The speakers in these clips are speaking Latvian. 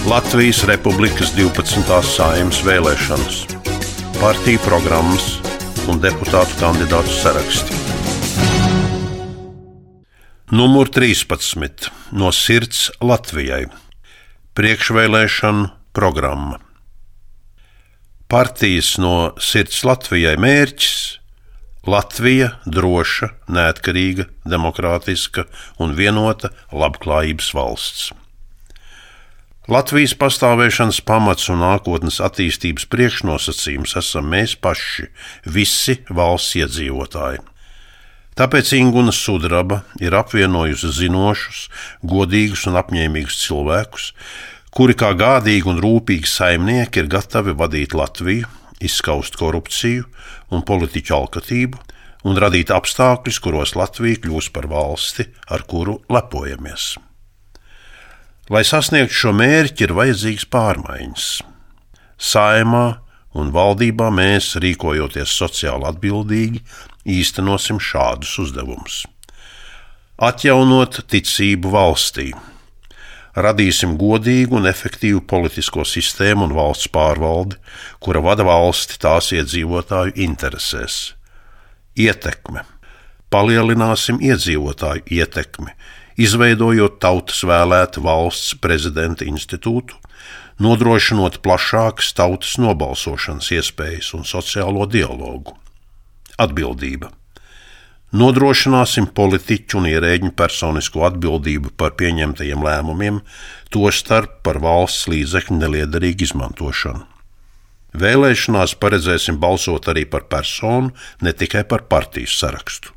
Latvijas Republikas 12. Saeimas vēlēšanas, partiju programmas un deputātu kandidātu saraksti. Numur 13. No sirds Latvijai. Priekšvēlēšanu programma. Partijas no sirds Latvijai mērķis – Latvija droša, neatkarīga, demokrātiska un vienota labklājības valsts. Latvijas pastāvēšanas pamats un nākotnes attīstības priekšnosacījums esam mēs paši, visi valsts iedzīvotāji. Tāpēc Inguna Sudraba ir apvienojusi zinošus, godīgus un apņēmīgus cilvēkus, kuri kā gādīgi un rūpīgi saimnieki ir gatavi vadīt Latviju, izskaust korupciju un politiķu alkatību un radīt apstākļus, kuros Latvija kļūs par valsti, ar kuru lepojamies. Lai sasniegtu šo mērķi, ir vajadzīgas pārmaiņas. Saeimā un valdībā mēs, rīkojoties sociāli atbildīgi, īstenosim šādus uzdevumus. Atjaunot ticību valstī. Radīsim godīgu un efektīvu politisko sistēmu un valsts pārvaldi, kura vada valsti tās iedzīvotāju interesēs. Ietekme. Palielināsim iedzīvotāju ietekmi, izveidojot tautas vēlētu valsts prezidenta institūtu, nodrošinot plašākas tautas nobalsošanas iespējas un sociālo dialogu. Atbildība. Nodrošināsim politiķu un ierēģņu personisko atbildību par pieņemtajiem lēmumiem, tostarp par valsts līdzekļu neliederīgu izmantošanu. Vēlēšanās paredzēsim balsot arī par personu, ne tikai par partijas sarakstu.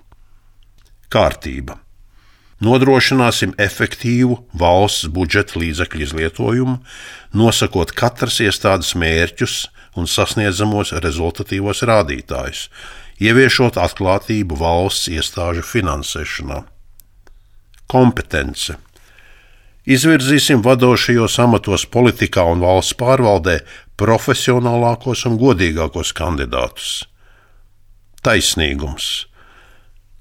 Kārtība. Nodrošināsim efektīvu valsts budžeta līdzekļu izlietojumu, nosakot katras iestādes mērķus un sasniedzamos rezultatīvos rādītājus, ieviešot atklātību valsts iestāžu finansēšanā. Kompetence. Izvirzīsim vadošajos amatos politikā un valsts pārvaldē profesionālākos un godīgākos kandidātus. Taisnīgums.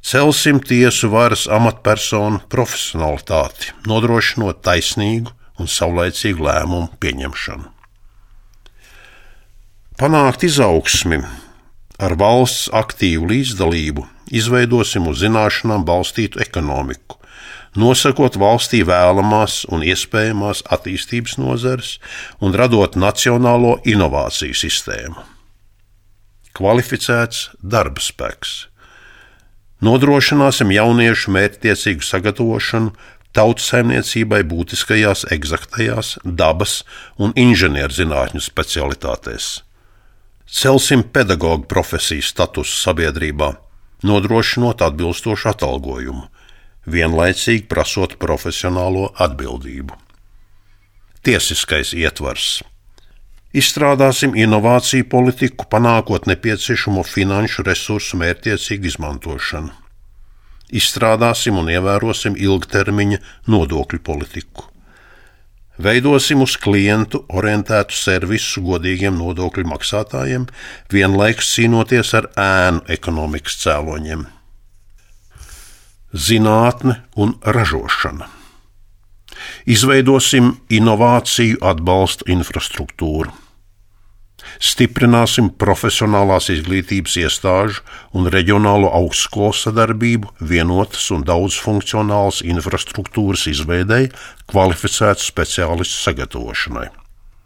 Celsim tiesu varas amatpersonu profesionalitāti, nodrošinot taisnīgu un saulaicīgu lēmumu pieņemšanu. Panākt izaugsmi ar valsts aktīvu līdzdalību izveidosim uz zināšanām balstītu ekonomiku, nosakot valstī vēlamās un iespējamās attīstības nozares un radot nacionālo inovāciju sistēmu. Kvalificēts darba spēks. Nodrošināsim jauniešu mērķtiecīgu sagatavošanu tautsaimniecībai būtiskajās eksaktajās, dabas un inženierzinātņu specialitātēs. Celsim pedagogu profesiju statusu sabiedrībā, nodrošinot atbilstošu atalgojumu, vienlaicīgi prasot profesionālo atbildību. Tiesiskais ietvars. Izstrādāsim inovāciju politiku, panākot nepieciešamo finanšu resursu mērķtiecīgu izmantošanu. Izstrādāsim un ievērosim ilgtermiņa nodokļu politiku. Veidosim uz klientu orientētu servisu godīgiem nodokļu maksātājiem, vienlaikus cīnoties ar ēnu ekonomikas cēloņiem. Zinātne un ražošana. Izveidosim inovāciju atbalsta infrastruktūru. Stiprināsim profesionālās izglītības iestāžu un reģionālo augstskolu sadarbību vienotas un daudzfunkcionālas infrastruktūras izveidei, kvalificētu speciālistu sagatavošanai.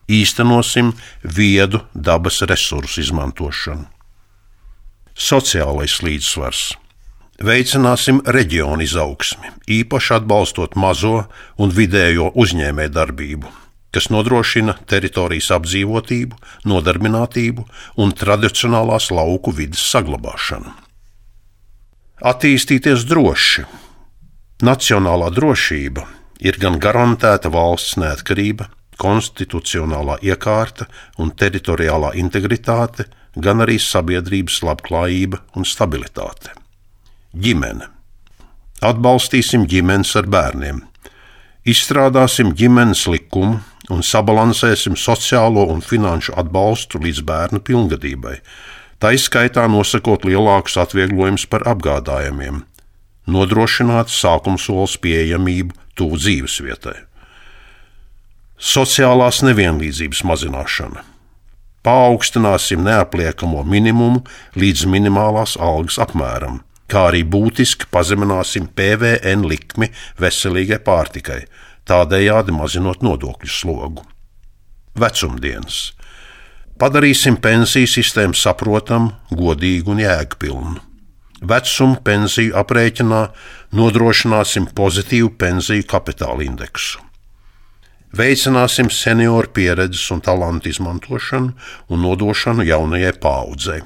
Īstenosim viedu dabas resursu izmantošanu. Sociālais līdzsvars. Veicināsim reģionu izaugsmi, īpaši atbalstot mazo un vidējo uzņēmējdarbību, kas nodrošina teritorijas apdzīvotību, nodarbinātību un tradicionālās lauku vides saglabāšanu. Attīstīties droši. Nacionālā drošība ir gan garantēta valsts neatkarība, konstitucionālā iekārta un teritoriālā integritāte, gan arī sabiedrības labklājība un stabilitāte. Ģimene. Atbalstīsim ģimenes ar bērniem. Izstrādāsim ģimenes likumu un sabalansēsim sociālo un finanšu atbalstu līdz bērnu pilngadībai, taiskaitā nosakot lielākus atvieglojumus par apgādājumiem, nodrošināt sākumsolas pieejamību tuvu dzīvesvietai. Sociālās nevienlīdzības mazināšana. Paaugstināsim neapliekamo minimumu līdz minimālās algas apmēram, kā arī būtiski pazemināsim PVN likmi veselīgai pārtikai, tādējādi mazinot nodokļu slogu. Vecumdienas. Padarīsim pensiju sistēmu saprotamu, godīgu un jēgpilnu. Vecuma pensiju aprēķinā nodrošināsim pozitīvu pensiju kapitāla indeksu. Veicināsim senioru pieredzes un talantu izmantošanu un nodošanu jaunajai paaudzei.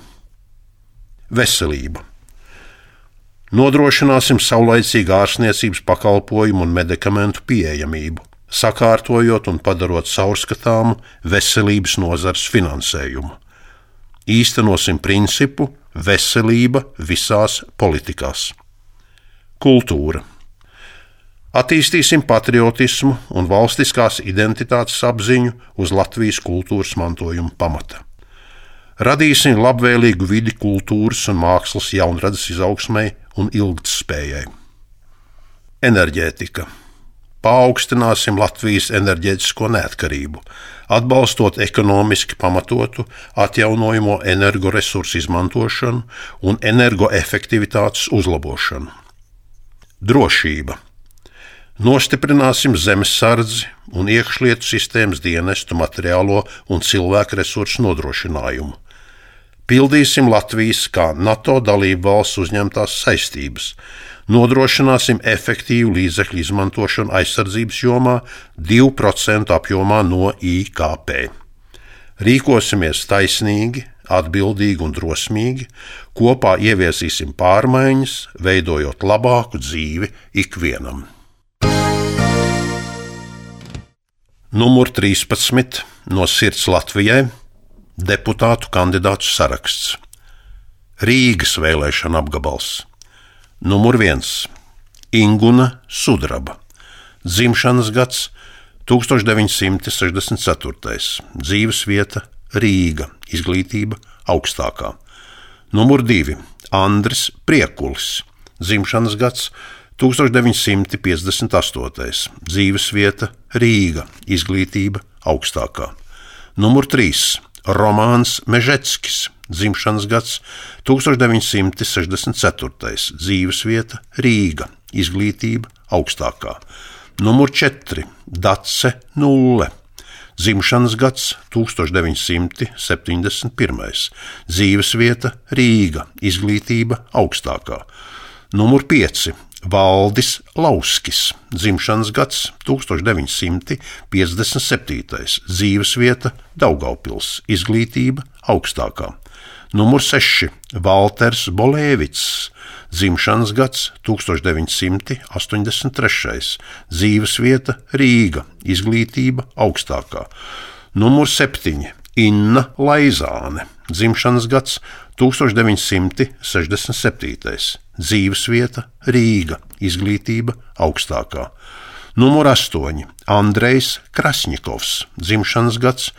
Veselība. Nodrošināsim saulaicīgu ārstniecības pakalpojumu un medikamentu pieejamību, sakārtojot un padarot caurskatāmu veselības nozares finansējumu. Īstenosim principu veselība visās politikās. Kultūra. Attīstīsim patriotismu un valstiskās identitātes apziņu uz Latvijas kultūras mantojuma pamata. Radīsim labvēlīgu vidi kultūras un mākslas jaunradas izaugsmei un ilgtspējai. Enerģētika. Paaugstināsim Latvijas enerģētisko neatkarību, atbalstot ekonomiski pamatotu atjaunojamo energoresursu izmantošanu un energoefektivitātes uzlabošanu. Drošība. Nostiprināsim zemesardzi un iekšlietu sistēmas dienestu materiālo un cilvēku resursu nodrošinājumu. Pildīsim Latvijas kā NATO dalību valsts uzņemtās saistības. Nodrošināsim efektīvu līdzekļu izmantošanu aizsardzības jomā 2% apjomā no IKP. Rīkosimies taisnīgi, atbildīgi un drosmīgi, kopā ieviesīsim pārmaiņas, veidojot labāku dzīvi ikvienam. Numur 13 no Sirds Latvijai deputātu kandidātu saraksts. Rīgas vēlēšana apgabals. Numur 1 Inguna Sudraba. Dzimšanas gads 1964. Dzīvesvieta Rīga. Izglītība augstākā. Numur 2 Andris Priekulis. Dzimšanas gads 1958. Dzīvesvieta Rīga. Izglītība augstākā. Numur 3 Romāns Mežeckis. Dzimšanas gads 1964. Dzīvesvieta Rīga. Izglītība augstākā. Numur 4 Dace Nulle. Dzimšanas gads 1971. Dzīvesvieta Rīga. Izglītība augstākā. Numur 5 Valdis Lauskis. Dzimšanas gads 1957. Dzīvesvieta Daugavpils. Izglītība augstākā. Numur 6 Valters Bolēvics. Dzimšanas gads 1983. Dzīvesvieta Rīga. Izglītība augstākā. Numur 7 Inna Laizāne. Dzimšanas gads 1967. Dzīvesvieta Rīga. Izglītība augstākā. Numur 8 Andrejs Krasņikovs. Dzimšanas gads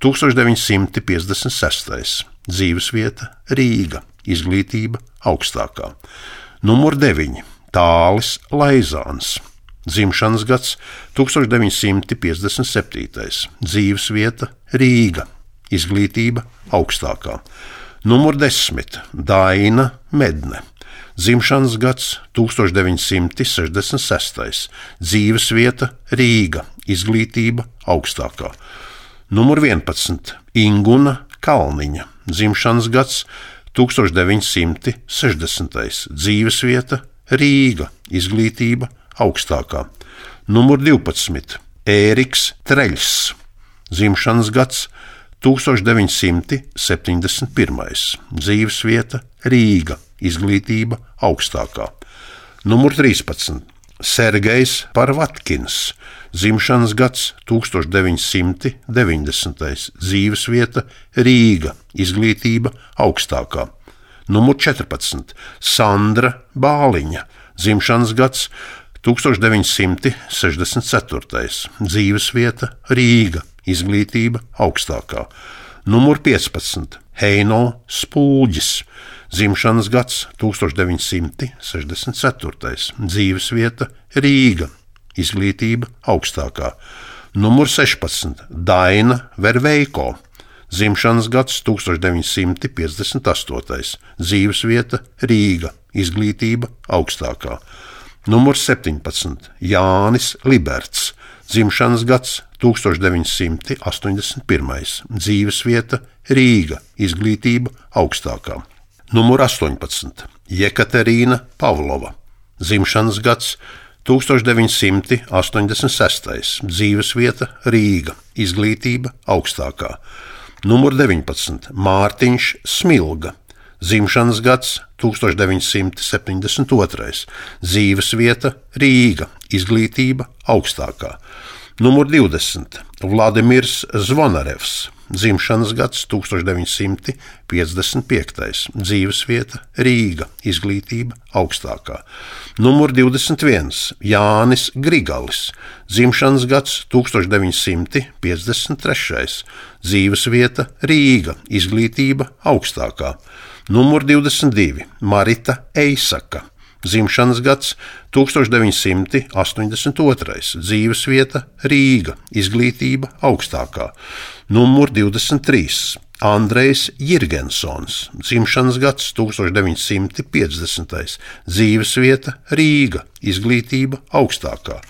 1956. Dzīvesvieta Rīga. Izglītība augstākā. Numur 9 Tālis Laizāns. Dzimšanas gads 1957. Dzīvesvieta Rīga. Izglītība augstākā. Numur 10 Daina Medne. Dzimšanas gads 1966. Dzīvesvieta Rīga. Izglītība augstākā. Numur 11 Inguna Kalniņa. Dzimšanas gads 1960. Dzīvesvieta Rīga. Izglītība augstākā. Numur 12 Ēriks Treļs. Dzimšanas gads 1971. Dzīvesvieta Rīga. Izglītība augstākā. Numur 13 Sergejs Parvatkins. Dzimšanas gads 1990. Dzīvesvieta Rīga. Izglītība augstākā. Numur 14 Sandra Bāliņa. Dzimšanas gads 1964. Dzīvesvieta Rīga. Izglītība augstākā. Numur 15 Heino Spulģis. Dzimšanas gads 1964. Dzīvesvieta Rīga. Izglītība augstākā. Numur 16. Daina Verveiko, dzimšanas gads 1958, dzīvesvieta Rīga, izglītība augstākā. Numur 17. Jānis Liberts, dzimšanas gads 1981, dzīvesvieta Rīga, izglītība augstākā. Numur 18. Jekaterīna Pavlova, dzimšanas gads 1986, dzīvesvieta Rīga, izglītība augstākā. Numur 19. Mārtiņš Smilga, dzimšanas gads 1972, dzīvesvieta Rīga, izglītība augstākā. Numur 20. Vladimirs Zvonarevs, dzimšanas gads 1955, dzīvesvieta Rīga, izglītība augstākā. Numur 21. Jānis Grigalis, dzimšanas gads 1953, dzīvesvieta Rīga, izglītība augstākā. Numur 22. Marita Eisaka, dzimšanas gads 1982, dzīvesvieta Rīga, izglītība augstākā. Numur 23. Andrejs Jirgensons, dzimšanas gads 1950, dzīvesvieta Rīga, izglītība augstākā.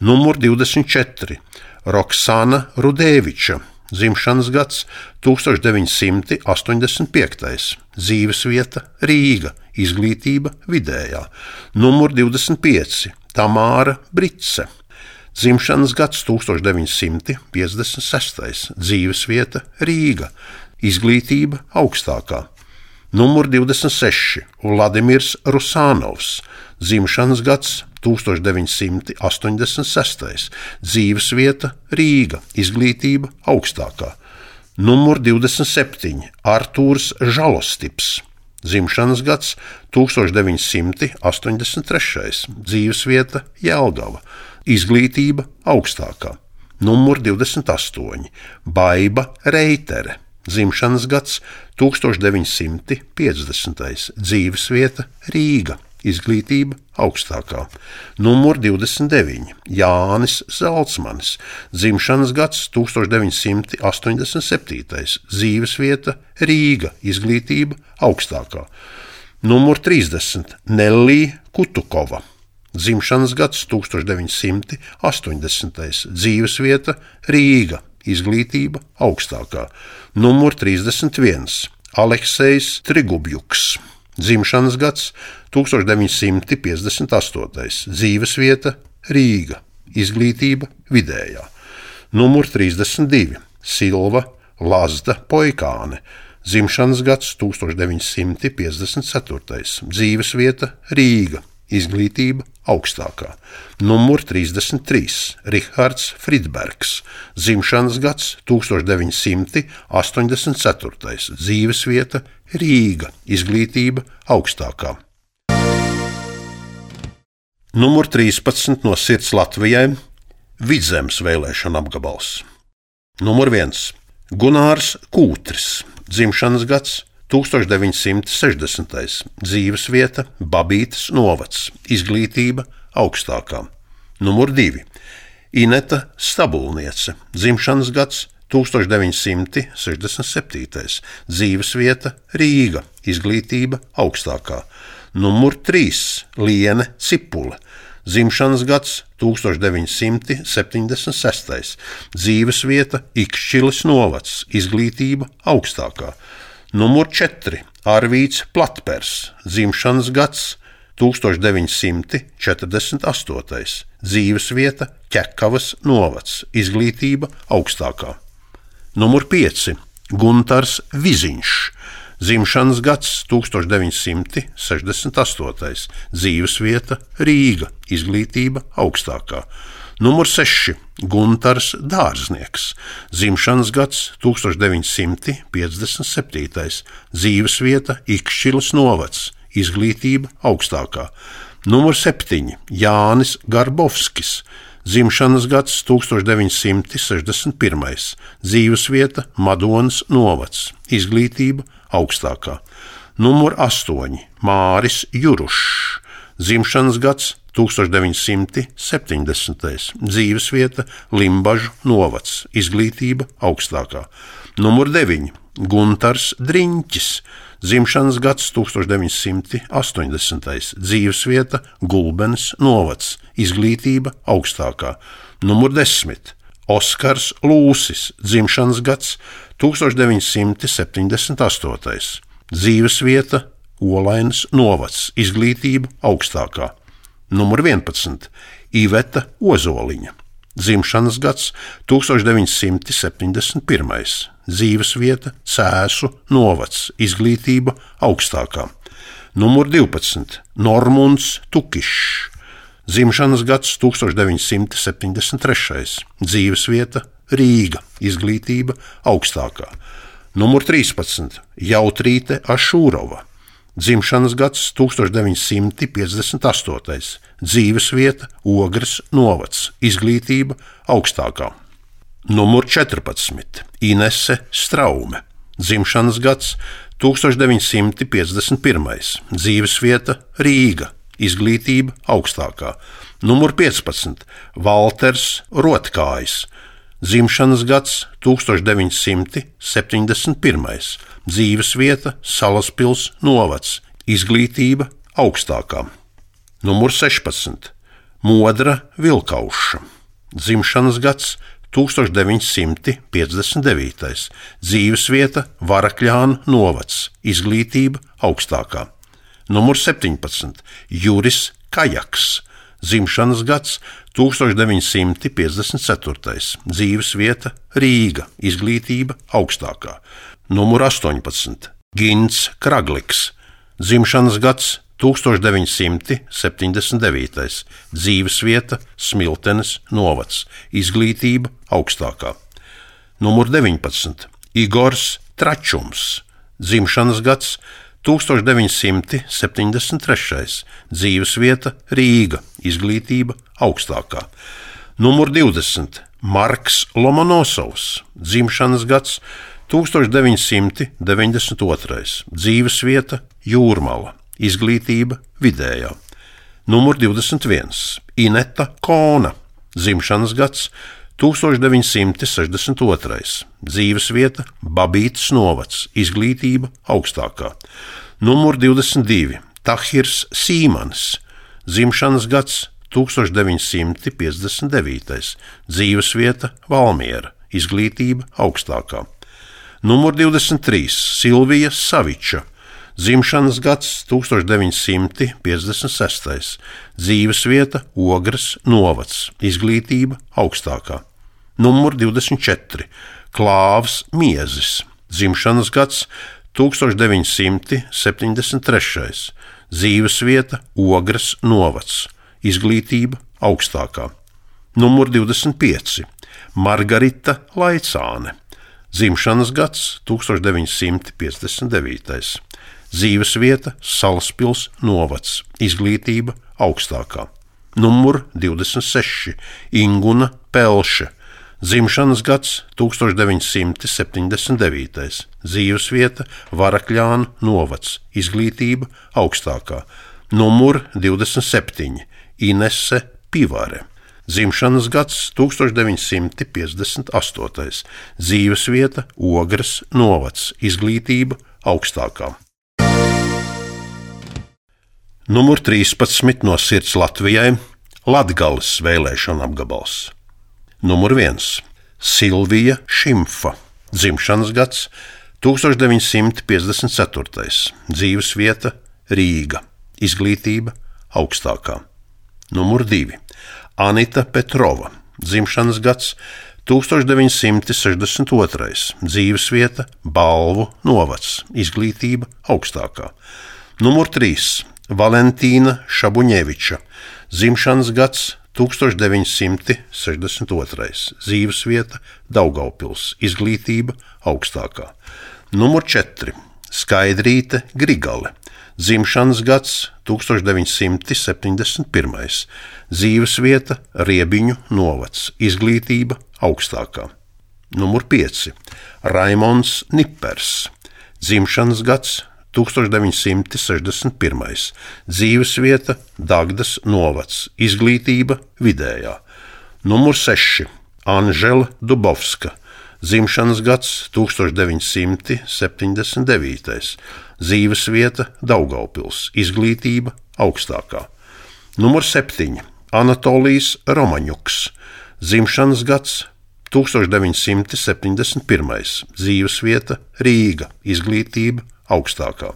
Numur 24. Roksana Rudēviča, dzimšanas gads 1985, dzīvesvieta Rīga, izglītība vidējā. Numur 25. Tamāra Brice, dzimšanas gads 1956, dzīvesvieta Rīga, izglītība augstākā. Numur 26. Vladimirs Rusānovs, dzimšanas gads 1986, dzīvesvieta Rīga, izglītība augstākā. Numur 27. Artūrs Žalostips, dzimšanas gads 1983, dzīvesvieta Jelgava, izglītība augstākā. Numur 28. Baiba Reitere, dzimšanas gads 1950, dzīvesvieta Rīga, izglītība augstākā. Numur 29. Jānis Zalcmanis, dzimšanas gads 1987, dzīvesvieta Rīga, izglītība augstākā. Numur 30. Nellī Kutukova, dzimšanas gads 1980, dzīvesvieta Rīga, izglītība augstākā. Numur 31. Aleksejs Trigubjuks, dzimšanas gads 1958, dzīvesvieta Rīga, izglītība vidējā. Numur 32. Silva Lazda Poikāne, dzimšanas gads 1954, dzīvesvieta Rīga, izglītība augstākā. Numur 33. Rihards Fridbergs, dzimšanas gads 1984, dzīvesvieta Rīga, izglītība augstākā. Numur 13 no sirds Latvijai – Vidzemes vēlēšana apgabals. Numur 1. Gunārs Kūtris, dzimšanas gads 1960, dzīvesvieta Babītes novads, izglītība augstākā. Numur 2. Ineta Stabulniece, dzimšanas gads 1967, dzīvesvieta Rīga, izglītība augstākā. Numur 3. Liene Cipule, dzimšanas gads 1976, dzīvesvieta Ikšķiles novads, izglītība augstākā. Numur 4. Arvīts Platpers, dzimšanas gads 1948, dzīvesvieta Ķekavas novads, izglītība augstākā. Numur 5. Guntars Viziņš, dzimšanas gads 1968, dzīvesvieta Rīga, izglītība augstākā. Numur 6. Guntars Dārznieks, dzimšanas gads 1957, dzīvesvieta Ikšķiles novads, izglītība augstākā. Numur 7. Jānis Garbovskis, dzimšanas gads 1961, dzīvesvieta Madonas novads, izglītība augstākā. Numur 8. Māris Jurušs, dzimšanas gads 1970. Dzīvesvieta Limbažu novads, izglītība augstākā. Numur 9. Guntars Driņķis, dzimšanas gads 1980. Dzīvesvieta Gulbenes novads, izglītība augstākā. Numur 10. Oskars Lūsis, dzimšanas gads 1978. Dzīvesvieta Olainas novads, izglītība augstākā. Numur 11. Iveta Ozoliņa, dzimšanas gads 1971. Dzīvesvieta Cēsu novads, izglītība augstākā. Numur 12. Normunds Tukišs, dzimšanas gads 1973. Dzīvesvieta Rīga, izglītība augstākā. Numur 13. Jautrīte Ašūrova, dzimšanas gads 1958. Dzīvesvieta Ogres novads, izglītība augstākā. Numur 14. Inese Straume, dzimšanas gads 1951. Dzīvesvieta Rīga, izglītība augstākā. Numur 15. Valters Rotkājs, dzimšanas gads 1971. Dzīvesvieta Salaspils novads, izglītība augstākā. Numur 16. Modra Vilkauša, dzimšanas gads 1959. Dzīvesvieta Varakļānu novads, izglītība augstākā. Numur 17. Juris Kajaks, dzimšanas gads 1954. Dzīvesvieta Rīga, izglītība augstākā. Numur 18. Gints Kragliks, dzimšanas gads 1979. Dzīvesvieta Smiltenes novads, izglītība augstākā. Numur 19. Igors Tračums, dzimšanas gads 1973. Dzīvesvieta Rīga, izglītība augstākā. Numur 20. Marks Lomonosovs, dzimšanas gads 1992. Dzīvesvieta Jūrmala, izglītība vidējā. Numur 21. Ineta Kona, dzimšanas gads 1962. Dzīvesvieta Babītas novads, izglītība augstākā. Numur 22. Tahirs Sīmanis, dzimšanas gads 1959. Dzīvesvieta Valmiera, izglītība augstākā. Numur 23. Silvija Saviča, dzimšanas gads 1956. Dzīvesvieta Ogres novads, izglītība augstākā. Numur 24. Klāvs Miezis, dzimšanas gads 1973. Dzīvesvieta Ogres novads, izglītība augstākā. Numur 25. Margarita Laicāne, dzimšanas gads 1959. Dzīvesvieta Salaspils novads, izglītība augstākā. Numur 26. Inguna Pelše, dzimšanas gads 1979. Dzīvesvieta Varakļānu novads, izglītība augstākā. Numur 27. Inese Pivare, dzimšanas gads 1958. Dzīvesvieta Ogres novads, izglītība augstākā. Numur 13 no sirds Latvijai – Latgales vēlēšana apgabals. Numur 1. Silvija Šimfa, dzimšanas gads 1954. Dzīvesvieta Rīga, izglītība augstākā. Numur 2. Anita Petrova, dzimšanas gads 1962. Dzīvesvieta Balvu novads, izglītība augstākā. Numur 3. Valentīna Šabuņeviča, dzimšanas gads 1962. Dzīvesvieta Daugavpils, izglītība augstākā. Numur 4. Skaidrīte Grigale, dzimšanas gads 1971. Dzīvesvieta Riebiņu novads, izglītība augstākā. Numur 5. Raimonds Nipers, dzimšanas gads 1961, dzīvesvieta Dagdas novads, izglītība vidējā. Numur 6. Anžela Dubovska, dzimšanas gads 1979, dzīvesvieta Daugaupils, izglītība augstākā. Numur 7. Anatolijs Romaņuks, dzimšanas gads 1971, dzīvesvieta Rīga, izglītība augstākā.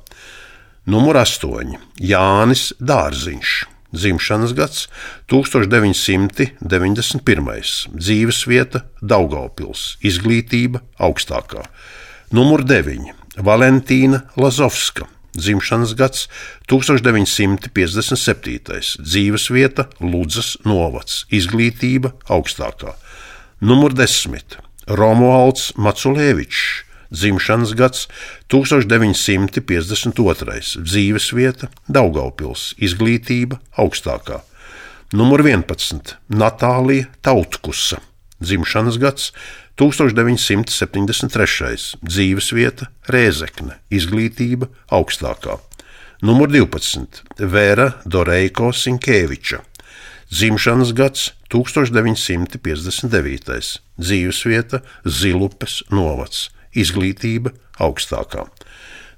Numur 8. Jānis Dārziņš, dzimšanas gads 1991, dzīvesvieta Daugaupils, izglītība augstākā. Numur 9. Valentīna Lazovska, dzimšanas gads 1957, dzīvesvieta Ludzas novads, izglītība augstākā. Numur 10. Romualds Maculēvičs, dzimšanas gads 1952, dzīvesvieta Daugaupils, izglītība augstākā. Numur 11. Natālija Tautkusa, dzimšanas gads 1973, dzīvesvieta Rēzekne, izglītība augstākā. Numur 12. Vera Doreiko Sinkēviča, dzimšanas gads 1959, dzīvesvieta Zilupes novads, izglītība augstākā.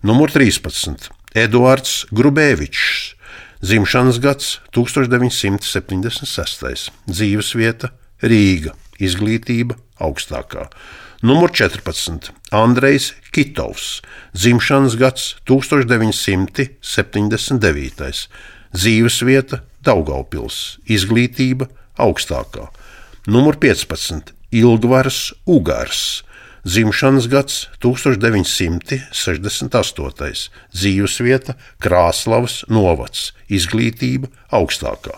Numur 13. Eduards Grubēvičs, dzimšanas gads 1976, dzīvesvieta Rīga, izglītība augstākā. Numur 14. Andrejs Kitovs, dzimšanas gads 1979, dzīvesvieta Daugaupils, izglītība augstākā. Numur 15. Ilgvars Ugars, dzimšanas gads 1968, dzīvesvieta Krāslavas novads, izglītība augstākā.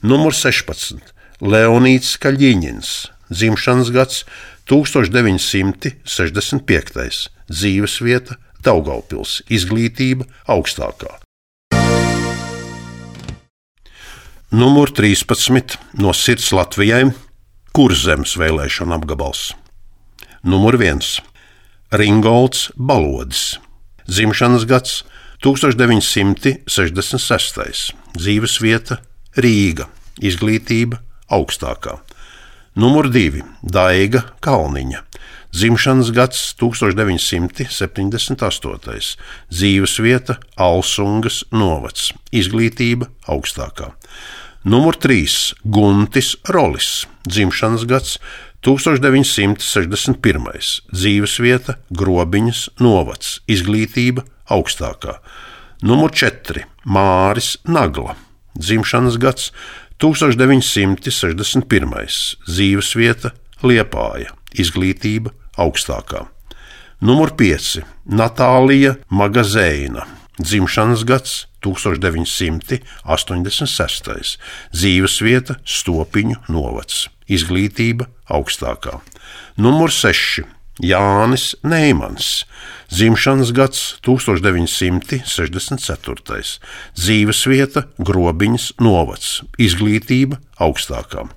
Numur 16. Leonīds Kaļiņins, dzimšanas gads 1965, dzīvesvieta Daugaupils, izglītība augstākā. Numur 13. No Sirds Latvijai, Kurzemes vēlēšana apgabals. Numur 1. Ringolds Balodis, dzimšanas gads 1966, dzīvesvieta Rīga, izglītība augstākā. Numur 2. Daiga Kalniņa, dzimšanas gads 1978, dzīvesvieta Alsungas novads, izglītība augstākā. Numur 3. Guntis Rolis, dzimšanas gads 1961, dzīvesvieta Grobiņas novads, izglītība augstākā. Numur 4. Māris Nagla, dzimšanas gads 1961, dzīvesvieta Liepāja, izglītība augstākā. Numur 5. Natālija Magazēna, dzimšanas gads 1986, dzīvesvieta Stopiņu novads, izglītība augstākā. Numur 6. Jānis Neimans, dzimšanas gads 1964, dzīvesvieta Grobiņas novads, izglītība augstākā.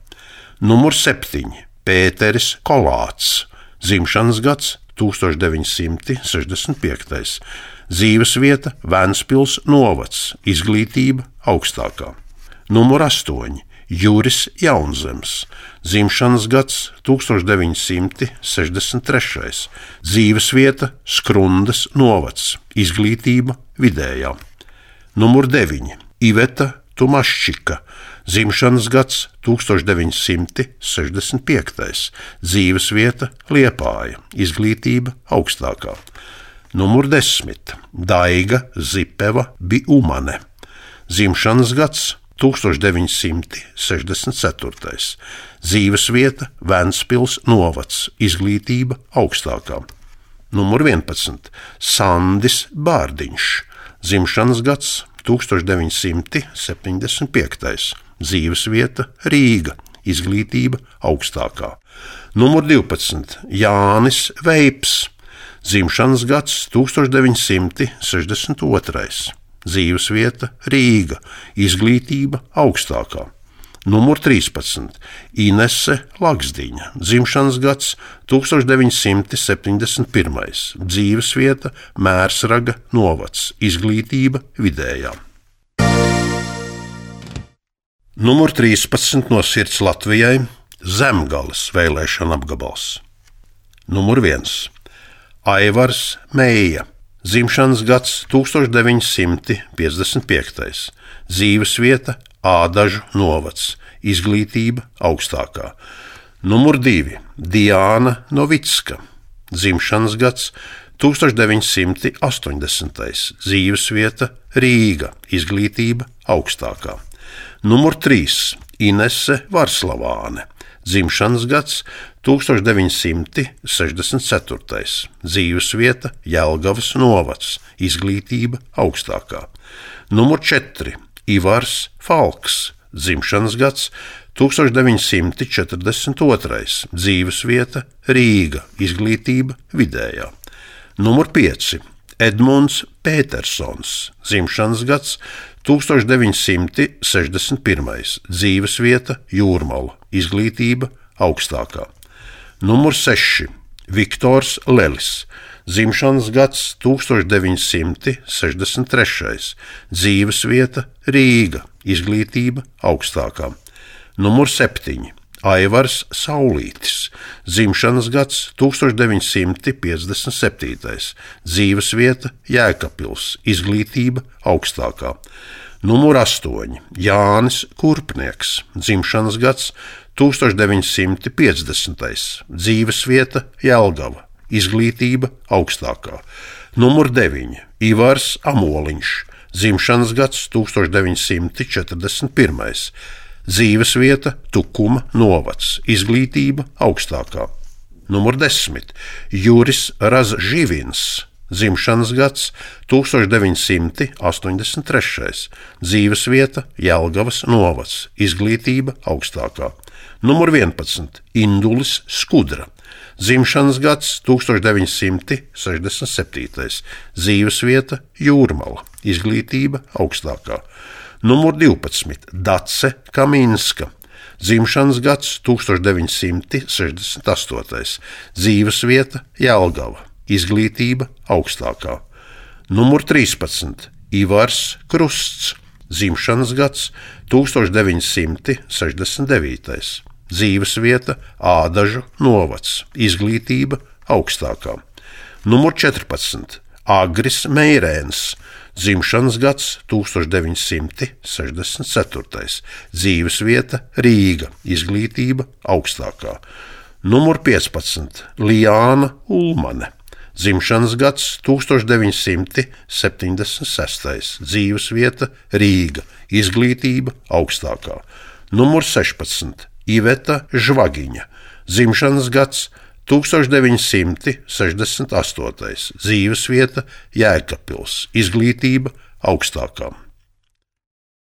Numur 7. Pēteris Kolāts, dzimšanas gads 1965, dzīvesvieta Ventspils novads, izglītība augstākā. Numur 8. Juris Jaunzems, dzimšanas gads 1963, dzīvesvieta Skrundas novads, izglītība vidējā. Numur 9. Iveta Tumaščika, dzimšanas gads 1965, dzīvesvieta Liepāja, izglītība augstākā. Numur 10. Daiga Zipeva Biumane, dzimšanas gads 1964, dzīvesvieta Ventspils novads, izglītība augstākā. Numur 11. Sandis Bārdiņš, dzimšanas gads 1975, dzīvesvieta Rīga, izglītība augstākā. Numur 12. Jānis Veips, dzimšanas gads 1962, dzīvesvieta Rīga, izglītība augstākā. Numur 13. Inese Laksdiņa, dzimšanas gads 1971. Dzīvesvieta Mērsraga novads, izglītība vidējā. Numur 13 no sirds Latvijai Zemgales vēlēšana apgabals. Numur 1. Aivars Meija, dzimšanas gads 1955. Dzīvesvieta Ādažu novads, izglītība augstākā. Numur 2. Diāna Novicka, dzimšanas gads 1980. Dzīvesvieta Rīga, izglītība augstākā. Numur 3. Inese Varslavāne, dzimšanas gads 1964. Dzīvesvieta Jelgavas novads, izglītība augstākā. Numur 4. Ivars Falks, dzimšanas gads 1942. Dzīvesvieta Rīga, izglītība vidējā. Numur 5. Edmunds Petersons, dzimšanas gads 1961. Dzīvesvieta Jūrmala, izglītība augstākā. Numur 6. Viktors Lelis, dzimšanas gads 1963. Dzīvesvieta Rīga, izglītība augstākā. Numur 7. Aivars Saulītis, dzimšanas gads 1957. Dzīvesvieta Jēkabpils, izglītība augstākā. Numur 8. Jānis Kurpnieks, dzimšanas gads 1950. Dzīvesvieta Jelgava, izglītība augstākā. Numur 9. Ivars Amoliņš, dzimšanas gads 1941. Dzīvesvieta Tukuma novads, izglītība augstākā. Numur 10. Juris Razživins, dzimšanas gads 1983. Dzīvesvieta Jelgavas novads, izglītība augstākā. Numur 11. Indulis Skudra, dzimšanas gads 1967. Dzīvesvieta Jūrmala, izglītība augstākā. Numur 12. Dace Kaminska, dzimšanas gads 1968. Dzīvesvieta Jelgava, izglītība augstākā. Numur 13. Ivars Krusts, dzimšanas gads 1969. Dzīvesvieta Ādažu novads, izglītība augstākā. Numur 14. Agris Meirēns, dzimšanas gads 1964. Dzīvesvieta Rīga, izglītība augstākā. Numur 15. Lijāna Ulmane, dzimšanas gads 1976. Dzīvesvieta Rīga, izglītība augstākā. Numur 16. Iveta Žvagiņa, dzimšanas gads 1968. Dzīvesvieta Jēkabpils, izglītība augstākā.